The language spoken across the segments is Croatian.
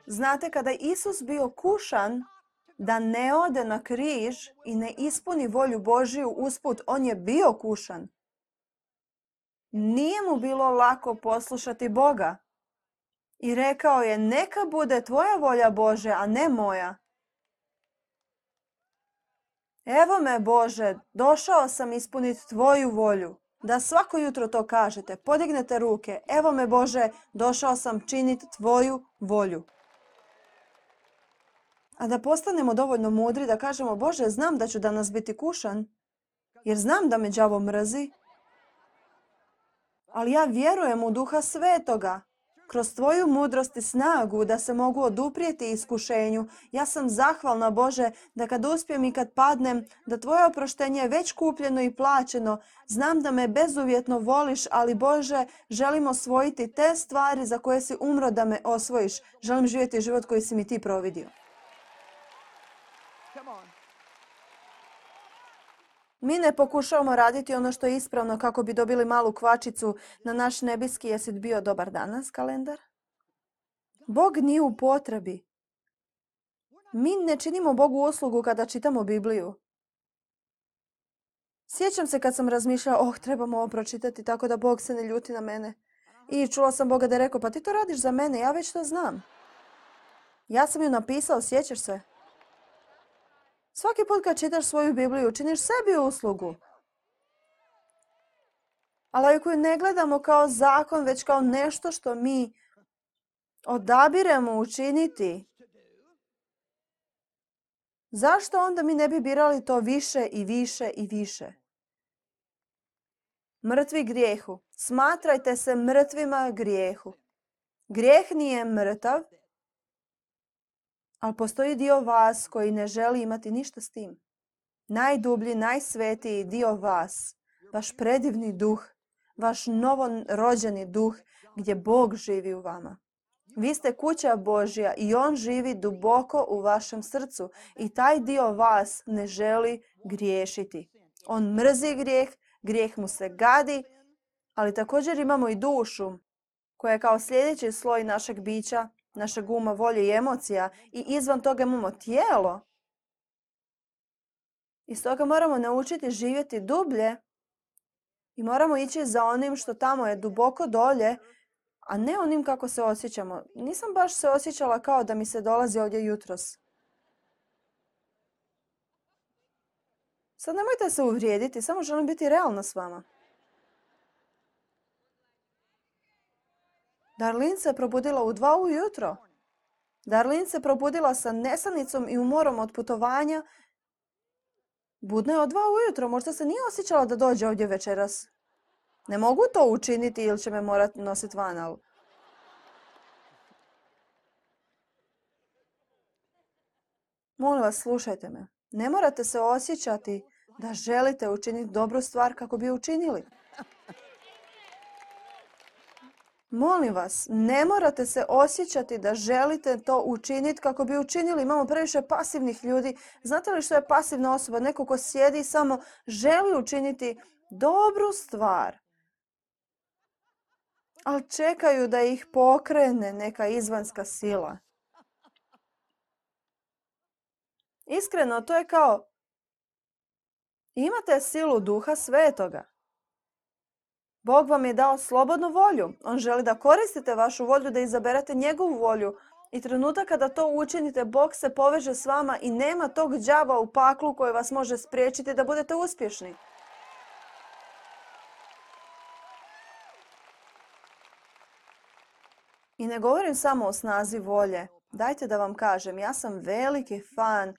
Znate, kada je Isus bio kušan da ne ode na križ i ne ispuni volju Božiju usput, on je bio kušan. Nije mu bilo lako poslušati Boga. I rekao je, neka bude tvoja volja Bože, a ne moja. Evo me Bože, došao sam ispuniti tvoju volju. Da svako jutro to kažete, podignete ruke. Evo me Bože, došao sam činiti tvoju volju. A da postanemo dovoljno mudri da kažemo, Bože, znam da ću danas biti kušan, jer znam da me đavo mrzi. Ali ja vjerujem u Duha Svetoga. Kroz tvoju mudrost i snagu da se mogu oduprijeti iskušenju. Ja sam zahvalna, Bože, da kad uspijem i kad padnem, da tvoje oproštenje je već kupljeno i plaćeno. Znam da me bezuvjetno voliš, ali Bože, želim osvojiti te stvari za koje si umro da me osvojiš. Želim živjeti život koji si mi ti providio. Mi ne pokušavamo raditi ono što je ispravno kako bi dobili malu kvačicu na naš nebeski jesi bio dobar danas kalendar. Bog nije u potrebi. Mi ne činimo Bogu uslugu kada čitamo Bibliju. Sjećam se kad sam razmišljala, trebamo ovo pročitati tako da Bog se ne ljuti na mene. I čula sam Boga da je rekao, pa ti to radiš za mene, ja već to znam. Ja sam ju napisao, sjećaš se? Svaki put kad čitaš svoju Bibliju, činiš sebi uslugu. Ali ako ju ne gledamo kao zakon, već kao nešto što mi odabiremo učiniti, zašto onda mi ne bi birali to više i više i više? Mrtvi grijehu. Smatrajte se mrtvima grijehu. Grijeh nije mrtav, ali postoji dio vas koji ne želi imati ništa s tim. Najdublji, najsvetiji dio vas, vaš predivni duh, vaš novorođeni duh gdje Bog živi u vama. Vi ste kuća Božja i On živi duboko u vašem srcu i taj dio vas ne želi griješiti. On mrzi grijeh, grijeh mu se gadi, ali također imamo i dušu koja je kao sljedeći sloj našeg bića, našeg uma, volje i emocija i izvan toga imamo tijelo. I stoga moramo naučiti živjeti dublje i moramo ići za onim što tamo je duboko dolje, a ne onim kako se osjećamo. Nisam baš se osjećala kao da mi se dolazi ovdje jutros. Sad nemojte se uvrijediti, samo želim biti realna s vama. Darlin se probudila u 2 ujutro. Darlin se probudila sa nesanicom i umorom od putovanja. Budna je od 2 ujutro, možda se nije osjećala da dođe ovdje večeras. Ne mogu to učiniti ili će me morati nositi van, ali... Molim vas, slušajte me. Ne morate se osjećati da želite učiniti dobru stvar kako bi je učinili. Molim vas, ne morate se osjećati da želite to učiniti kako bi učinili. Imamo previše pasivnih ljudi. Znate li što je pasivna osoba? Neko ko sjedi i samo želi učiniti dobru stvar. Ali čekaju da ih pokrene neka izvanjska sila. Iskreno, to je kao imate silu Duha Svetoga. Bog vam je dao slobodnu volju. On želi da koristite vašu volju, da izaberete njegovu volju. I trenutak kada to učinite, Bog se poveže s vama i nema tog đava u paklu koji vas može spriječiti da budete uspješni. I ne govorim samo o snazi volje. Dajte da vam kažem, ja sam veliki fan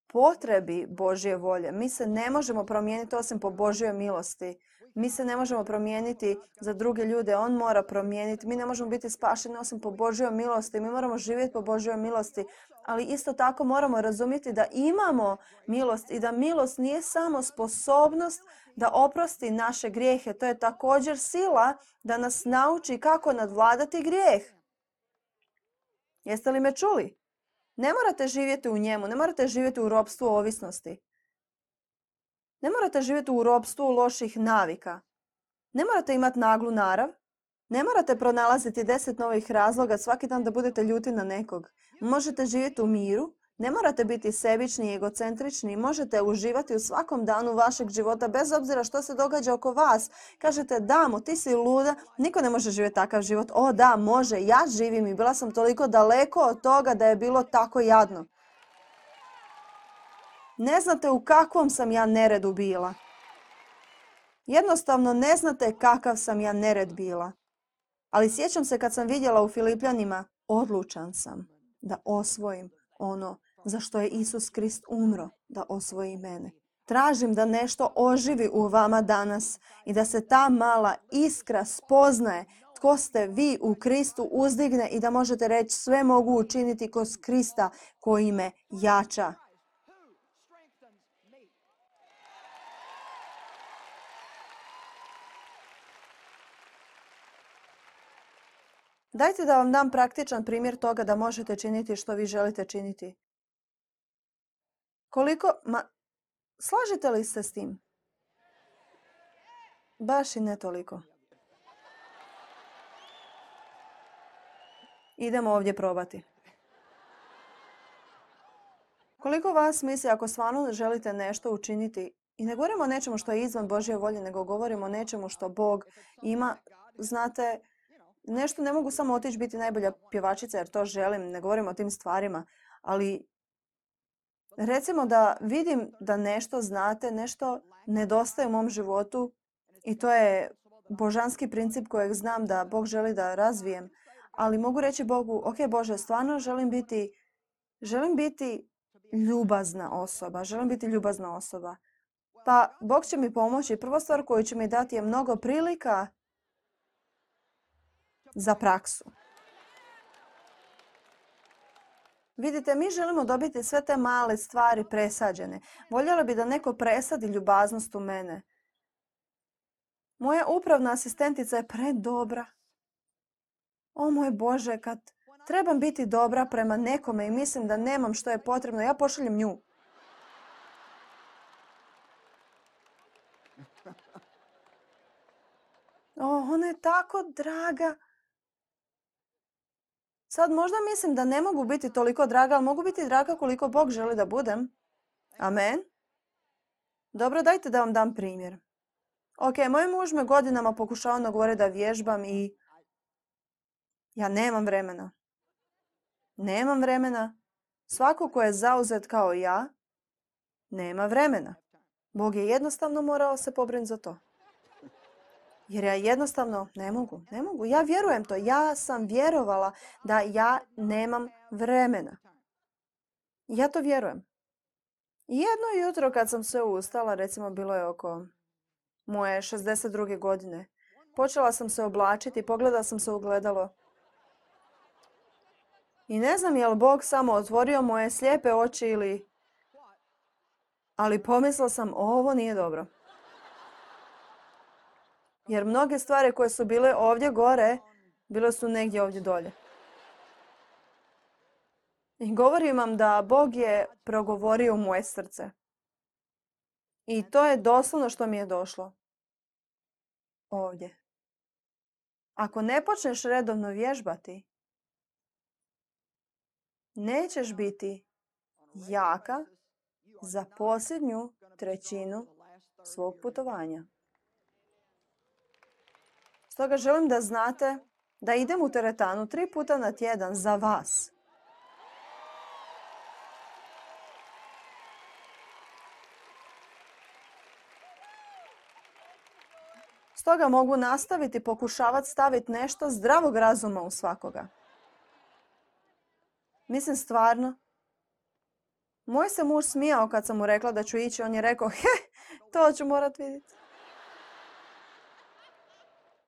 potrebi Božje volje. Mi se ne možemo promijeniti osim po Božjoj milosti. Mi se ne možemo promijeniti za druge ljude, on mora promijeniti. Mi ne možemo biti spašeni osim po Božjoj milosti. Mi moramo živjeti po Božjoj milosti. Ali isto tako moramo razumjeti da imamo milost i da milost nije samo sposobnost da oprosti naše grijehe. To je također sila da nas nauči kako nadvladati grijeh. Jeste li me čuli? Ne morate živjeti u njemu, ne morate živjeti u ropstvu ovisnosti. Ne morate živjeti u ropstvu loših navika. Ne morate imati naglu narav. Ne morate pronalaziti 10 novih razloga svaki dan da budete ljuti na nekog. Možete živjeti u miru, ne morate biti sebični i egocentrični, možete uživati u svakom danu vašeg života bez obzira što se događa oko vas. Kažete, damo, ti si luda, niko ne može živjeti takav život. O da, može, ja živim i bila sam toliko daleko od toga da je bilo tako jadno. Ne znate u kakvom sam ja neredu bila. Jednostavno ne znate kakav sam ja nered bila. Ali sjećam se kad sam vidjela u Filipljanima, odlučan sam da osvojim ono za što je Isus Krist umro, da osvoji mene. Tražim da nešto oživi u vama danas i da se ta mala iskra spoznaje tko ste vi u Kristu uzdigne i da možete reći sve mogu učiniti kroz Krista koji me jača. Dajte da vam dam praktičan primjer toga da možete činiti što vi želite činiti. Slažete li se s tim? Baš i ne toliko. Idemo ovdje probati. Koliko vas misli ako stvarno želite nešto učiniti, i ne govorimo o nečemu što je izvan Božje volje, nego govorimo o nečemu što Bog ima, znate, nešto ne mogu samo otići biti najbolja pjevačica jer to želim, ne govorim o tim stvarima, ali recimo da vidim da nešto znate, nešto nedostaje u mom životu i to je božanski princip kojeg znam da Bog želi da razvijem, ali mogu reći Bogu, ok Bože, stvarno želim biti ljubazna osoba. Pa Bog će mi pomoći. Prva stvar koju će mi dati je mnogo prilika za praksu. Vidite, mi želimo dobiti sve te male stvari presađene. Voljela bi da neko presadi ljubaznost u mene. Moja upravna asistentica je predobra. O moj Bože, kad trebam biti dobra prema nekome i mislim da nemam što je potrebno, ja pošaljem nju. Ona je tako draga. Sad možda mislim da ne mogu biti toliko draga, ali mogu biti draga koliko Bog želi da budem. Amen. Dobro, dajte da vam dam primjer. Ok, moj muž me godinama pokušao nagovoriti da vježbam i ja nemam vremena. Nemam vremena. Svako ko je zauzet kao ja, nema vremena. Bog je jednostavno morao se pobrinuti za to. Jer ja jednostavno ne mogu. Ja vjerujem to. Ja sam vjerovala da ja nemam vremena. Ja to vjerujem. Jedno jutro kad sam se ustala, recimo bilo je oko moje 62. godine, počela sam se oblačiti, pogledala sam se u ogledalo. I ne znam je li Bog samo otvorio moje slijepe oči ili... Ali pomislila sam, ovo nije dobro. Jer mnoge stvari koje su bile ovdje gore, bile su negdje ovdje dolje. I govorim vam da Bog je progovorio u moje srce. I to je doslovno što mi je došlo. Ovdje. Ako ne počneš redovno vježbati, nećeš biti jaka za posljednju trećinu svog putovanja. Stoga želim da znate da idem u teretanu 3 puta na tjedan za vas. Stoga mogu nastaviti pokušavati staviti nešto zdravog razuma u svakoga. Mislim stvarno. Moj se muž smijao kad sam mu rekla da ću ići. On je rekao, to ću morat vidjeti.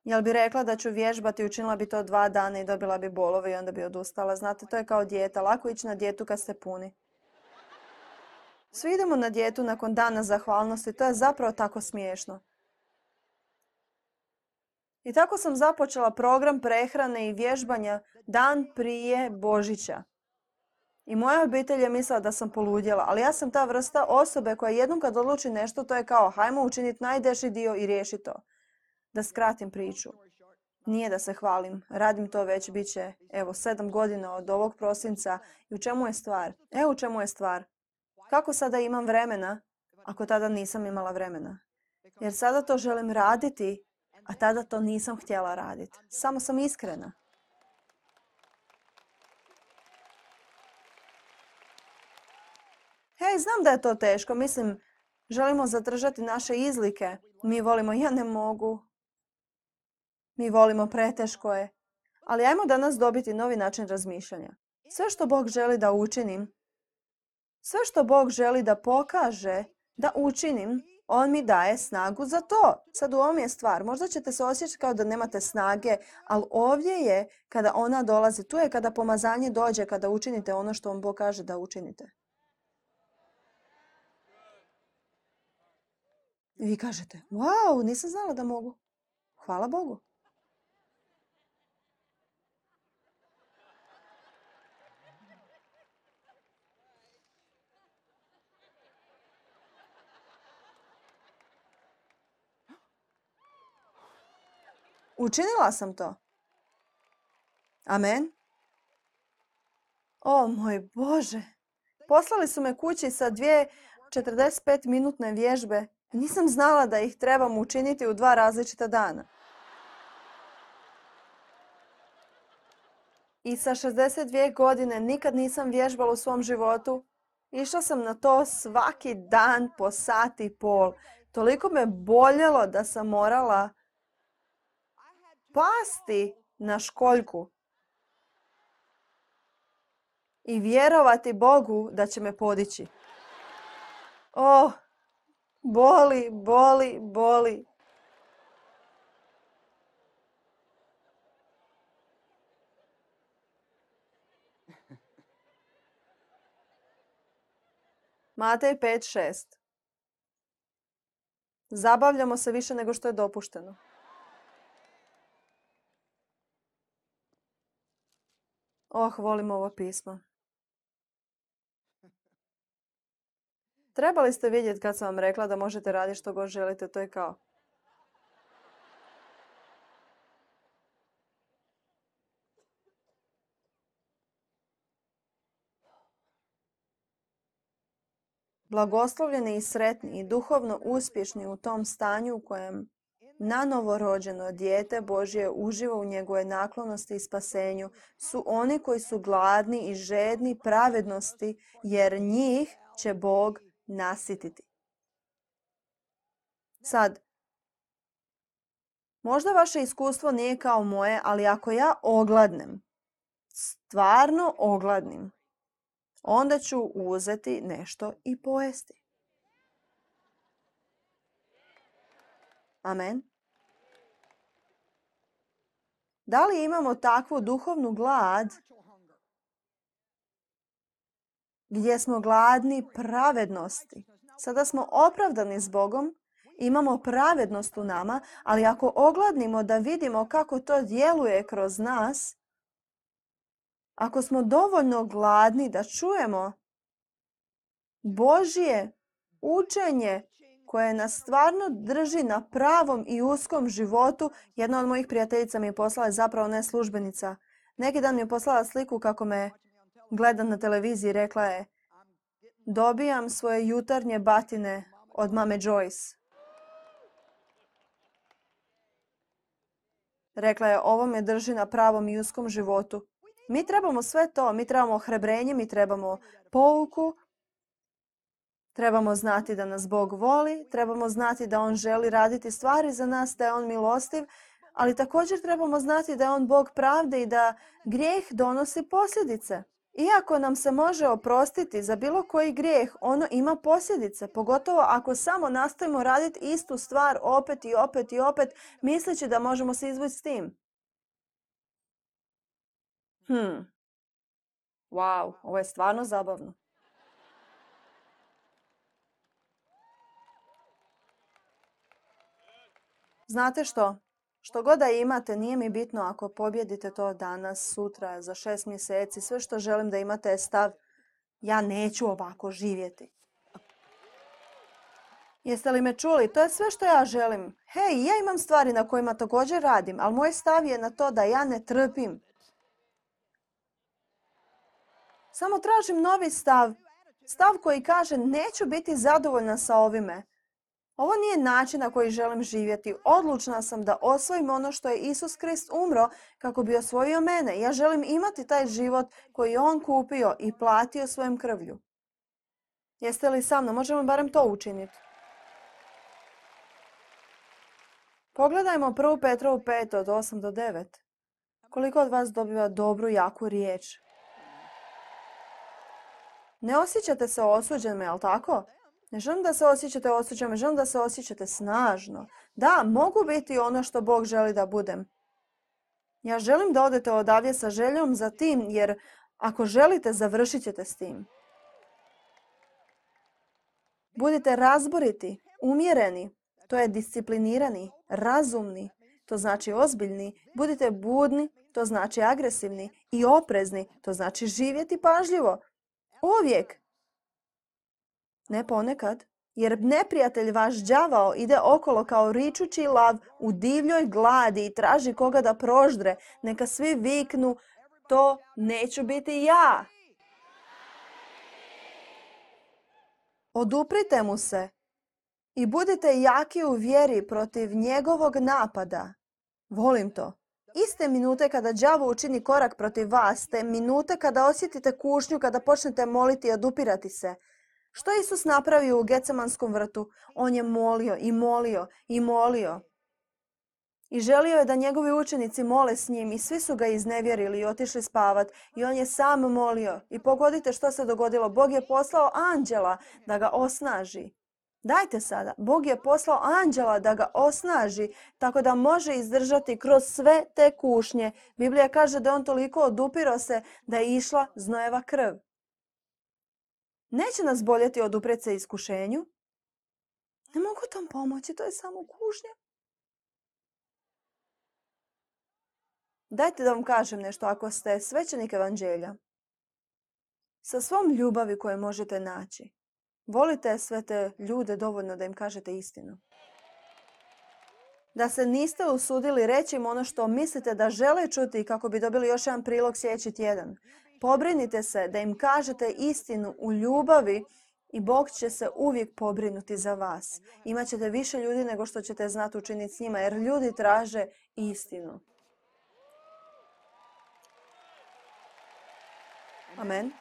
Jel bi rekla da ću vježbati, učinila bi to 2 dana i dobila bi bolove i onda bi odustala. Znate, to je kao dijeta. Lako ići na dijetu kad ste puni. Svi idemo na dijetu nakon dana zahvalnosti. To je zapravo tako smiješno. I tako sam započela program prehrane i vježbanja dan prije Božića. I moja obitelj je mislila da sam poludjela, ali ja sam ta vrsta osobe koja jednom kad odluči nešto, to je kao hajmo učiniti najdeži dio i riješi to. Da skratim priču. Nije da se hvalim, radim to već bit će, 7 godina od ovog prosinca. I u čemu je stvar? U čemu je stvar. Kako sada imam vremena, ako tada nisam imala vremena? Jer sada to želim raditi, a tada to nisam htjela raditi. Samo sam iskrena. Znam da je to teško. Mislim, želimo zadržati naše izlike. Mi volimo, ja ne mogu. Mi volimo, preteško je. Ali ajmo danas dobiti novi način razmišljanja. Sve što Bog želi da učinim, sve što Bog želi da pokaže, da učinim, On mi daje snagu za to. Sad u ovom je stvar. Možda ćete se osjećati kao da nemate snage, ali ovdje je kada ona dolazi. Tu je kada pomazanje dođe, kada učinite ono što vam Bog kaže da učinite. I vi kažete, wow, nisam znala da mogu. Hvala Bogu. Učinila sam to. Amen. O moj Bože. Poslali su me kući sa 2 45-minutne vježbe. Nisam znala da ih trebam učiniti u 2 različita dana. I sa 62 godine nikad nisam vježbala u svom životu. Išla sam na to svaki dan po 1,5 sata. Toliko me boljelo da sam morala pasti na školjku i vjerovati Bogu da će me podići. Boli, boli, boli. Matej 5:6. Zabavljamo se više nego što je dopušteno. Volim ovo pismo. Trebali ste vidjeti kad sam vam rekla da možete raditi što god želite, to je kao. Blagoslovljeni i sretni i duhovno uspješni u tom stanju u kojem nanovorođeno dijete Božje uživa u njegove naklonosti i spasenju su oni koji su gladni i žedni pravednosti, jer njih će Bog nasititi. Sad, možda vaše iskustvo nije kao moje, ali ako ja ogladnem, stvarno ogladnim, onda ću uzeti nešto i pojesti. Amen. Da li imamo takvu duhovnu glad gdje smo gladni pravednosti? Sada smo opravdani s Bogom, imamo pravednost u nama, ali ako ogladnimo da vidimo kako to djeluje kroz nas, ako smo dovoljno gladni da čujemo Božje učenje koje nas stvarno drži na pravom i uskom životu. Jedna od mojih prijateljica mi je poslala, zapravo ne službenica. Neki dan mi je poslala sliku kako me gleda na televiziji. Rekla je, dobijam svoje jutarnje batine od mame Joyce. Rekla je, ovo me drži na pravom i uskom životu. Mi trebamo sve to. Mi trebamo ohrebrenje, mi trebamo pouku. Trebamo znati da nas Bog voli, trebamo znati da On želi raditi stvari za nas, da je On milostiv, ali također trebamo znati da je On Bog pravde i da grijeh donosi posljedice. Iako nam se može oprostiti za bilo koji grijeh, ono ima posljedice, pogotovo ako samo nastavimo raditi istu stvar opet i opet i opet, misleći da možemo se izvući s tim. Wow, ovo je stvarno zabavno. Znate što? Što god da imate, nije mi bitno ako pobjedite to danas, sutra, za 6 mjeseci. Sve što želim da imate je stav, ja neću ovako živjeti. Jeste li me čuli? To je sve što ja želim. Hej, ja imam stvari na kojima također radim, ali moj stav je na to da ja ne trpim. Samo tražim novi stav. Stav koji kaže neću biti zadovoljna sa ovime. Ovo nije način na koji želim živjeti. Odlučna sam da osvojim ono što je Isus Krist umro kako bi osvojio mene. Ja želim imati taj život koji je On kupio i platio svojom krvlju. Jeste li sa mnom? Možemo barem to učiniti. Pogledajmo 1. Petrovu 5 od 8 do 9. Koliko od vas dobiva dobru, jaku riječ? Ne osjećate se osuđenima, jel tako? Ne želim da se osjećate osuđenima, želim da se osjećate snažno. Da, mogu biti ono što Bog želi da budem. Ja želim da odete odavdje sa željom za tim, jer ako želite, završit ćete s tim. Budite razboriti, umjereni, to je disciplinirani, razumni, to znači ozbiljni. Budite budni, to znači agresivni, i oprezni, to znači živjeti pažljivo. Uvijek. Ne ponekad, jer neprijatelj vaš đavao ide okolo kao ričući lav u divljoj gladi i traži koga da proždre. Neka svi viknu, to neću biti ja. Oduprite mu se i budite jaki u vjeri protiv njegovog napada. Volim to. Iste minute kada đavo učini korak protiv vas, te minute kada osjetite kušnju, kada počnete moliti i odupirati se. Što je Isus napravio u Getsemanskom vrtu? On je molio i molio i molio. I želio je da njegovi učenici mole s njim i svi su ga iznevjerili i otišli spavat. I on je sam molio. I pogodite što se dogodilo. Bog je poslao anđela da ga osnaži. Dajte sada. Bog je poslao anđela da ga osnaži tako da može izdržati kroz sve te kušnje. Biblija kaže da on toliko odupirao se da je išla znojeva krv. Neće nas boljeti oduprijeti se iskušenju. Ne mogu tom pomoći, to je samo kušnja. Dajte da vam kažem nešto, ako ste svećenik evanđelja, sa svom ljubavi koju možete naći, volite sve te ljude dovoljno da im kažete istinu. Da se niste usudili reći im ono što mislite da žele čuti kako bi dobili još jedan prilog sljedeći tjedan. Pobrinite se da im kažete istinu u ljubavi i Bog će se uvijek pobrinuti za vas. Imaćete više ljudi nego što ćete znati učiniti s njima, jer ljudi traže istinu. Amen.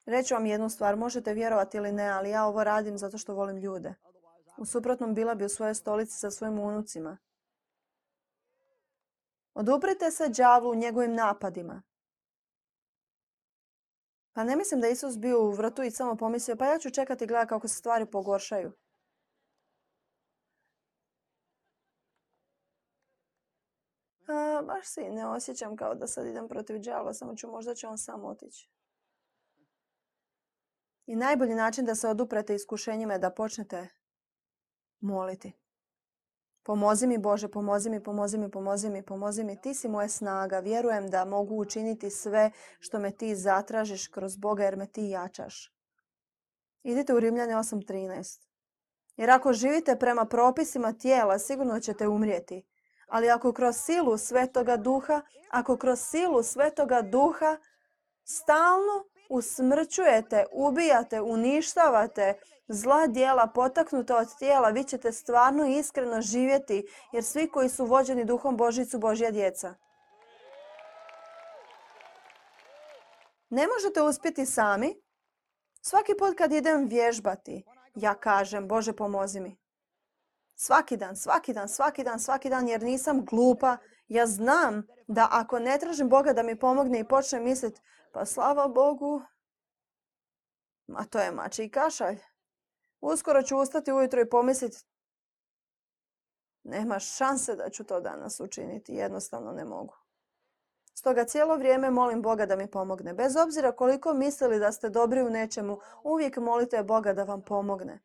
Reću vam jednu stvar, možete vjerovati ili ne, ali ja ovo radim zato što volim ljude. U suprotnom bila bi u svojoj stolici sa svojim unucima. Oduprite se đavlu u njegovim napadima. Pa ne mislim da je Isus bio u vrtu i samo pomislio, pa ja ću čekati i gledati kako se stvari pogoršaju. Baš se ne osjećam kao da sad idem protiv đavla, samo možda će on sam otići. I najbolji način da se oduprete iskušenjima je da počnete moliti. Pomozi mi Bože, pomozi mi, pomozi mi, pomozi mi, pomozi mi. Ti si moja snaga. Vjerujem da mogu učiniti sve što me ti zatražiš kroz Boga jer me ti jačaš. Idite u Rimljane 8.13. Jer ako živite prema propisima tijela, sigurno ćete umrijeti. Ali ako kroz silu Svetoga Duha stalno usmrćujete, ubijate, uništavate zla djela potaknuta od tijela, vi ćete stvarno i iskreno živjeti, jer svi koji su vođeni Duhom Božjim su Božja djeca. Ne možete uspjeti sami. Svaki put kad idem vježbati, ja kažem, Bože pomozi mi. Svaki dan, jer nisam glupa. Ja znam da ako ne tražim Boga da mi pomogne i počnem misliti, pa slava Bogu, ma to je mačji kašalj. Uskoro ću ustati ujutro i pomisliti, nema šanse da ću to danas učiniti, jednostavno ne mogu. Stoga cijelo vrijeme molim Boga da mi pomogne. Bez obzira koliko mislili da ste dobri u nečemu, uvijek molite Boga da vam pomogne.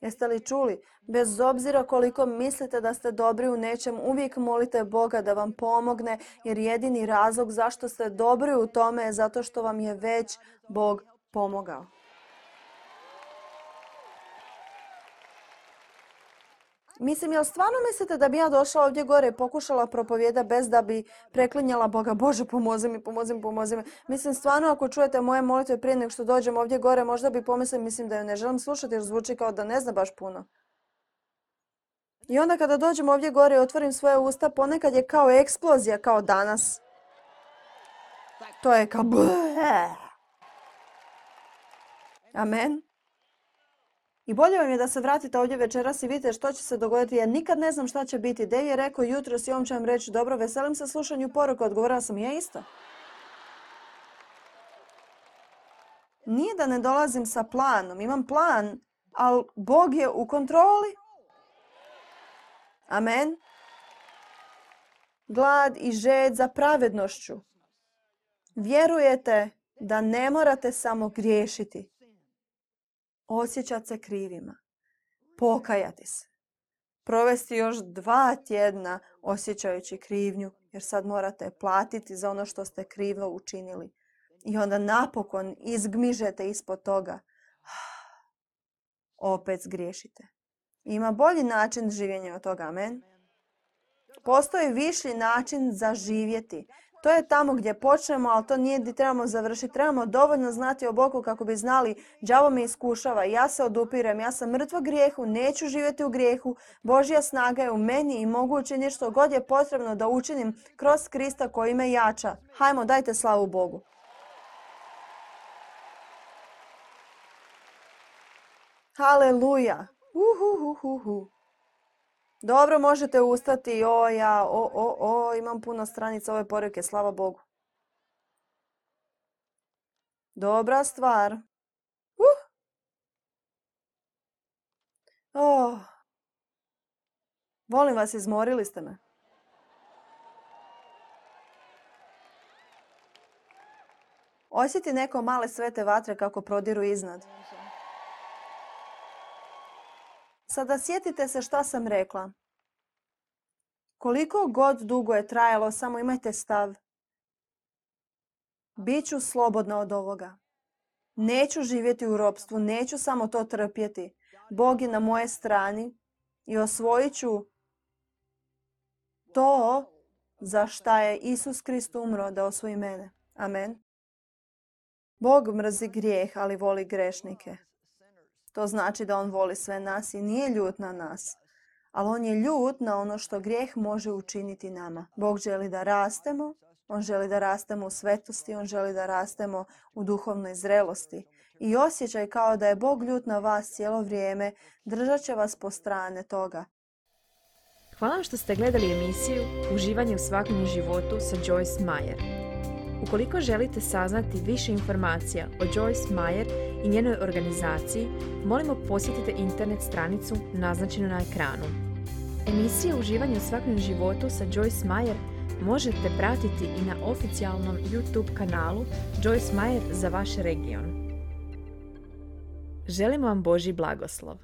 Jeste li čuli? Bez obzira koliko mislite da ste dobri u nečem, uvijek molite Boga da vam pomogne, jer jedini razlog zašto ste dobri u tome je zato što vam je već Bog pomogao. Mislim, jel stvarno mislite da bi ja došla ovdje gore i pokušala propovjeda bez da bi preklinjala Boga? Bože, pomozi mi, pomozi mi, pomozi mi. Mislim, stvarno ako čujete moje molitve prije nego što dođem ovdje gore, možda bi pomislili, mislim da ju ne želim slušati jer zvuči kao da ne zna baš puno. I onda kada dođem ovdje gore i otvorim svoje usta, ponekad je kao eksplozija, kao danas. To je kao... Amen. I bolje vam je da se vratite ovdje večeras i vidite što će se dogoditi. Ja nikad ne znam šta će biti. Dev je rekao jutros i on će vam reći, dobro, veselim se slušanju poruke. Odgovorila sam, ja isto. Nije da ne dolazim sa planom. Imam plan, ali Bog je u kontroli. Amen. Glad i žed za pravednošću. Vjerujete da ne morate samo griješiti. Osjećati se krivima. Pokajati se. Provesti još 2 tjedna osjećajući krivnju, jer sad morate platiti za ono što ste krivo učinili. I onda napokon izgmižete ispod toga. Opet zgriješite. Ima bolji način življenja od toga, amen. Postoji viši način za živjeti. To je tamo gdje počnemo, ali to nije gdje trebamo završiti. Trebamo dovoljno znati o Bogu kako bi znali, đavo me iskušava, ja se odupirem, ja sam mrtva grijehu, neću živjeti u grijehu, Božja snaga je u meni i mogu učiniti što god je potrebno da učinim kroz Krista koji me jača. Hajmo, dajte slavu Bogu. Haleluja. Dobro, možete ustati. Imam puno stranica ove poruke, slava Bogu. Dobra stvar. Volim vas, izmorili ste me. Osjeti neko male svete vatre kako prodiru iznad. Sada sjetite se šta sam rekla. Koliko god dugo je trajalo, samo imajte stav. Biću slobodna od ovoga. Neću živjeti u ropstvu, neću samo to trpjeti. Bog je na moje strani i osvojit ću to za šta je Isus Krist umro da osvoji mene. Amen. Bog mrzi grijeh, ali voli grešnike. To znači da on voli sve nas i nije ljut na nas. Ali on je ljut na ono što grijeh može učiniti nama. Bog želi da rastemo. On želi da rastemo u svetosti. On želi da rastemo u duhovnoj zrelosti. I osjećaj kao da je Bog ljut na vas cijelo vrijeme. Držat će vas po strane toga. Hvala vam što ste gledali emisiju Uživanje u svakodnevnom životu sa Joyce Meyer. Ukoliko želite saznati više informacija o Joyce Meyer i njenoj organizaciji, molimo posjetite internet stranicu naznačenu na ekranu. Emisije Uživanje u svakodnevnom životu sa Joyce Meyer možete pratiti i na oficijalnom YouTube kanalu Joyce Meyer za vaš region. Želimo vam Božji blagoslov.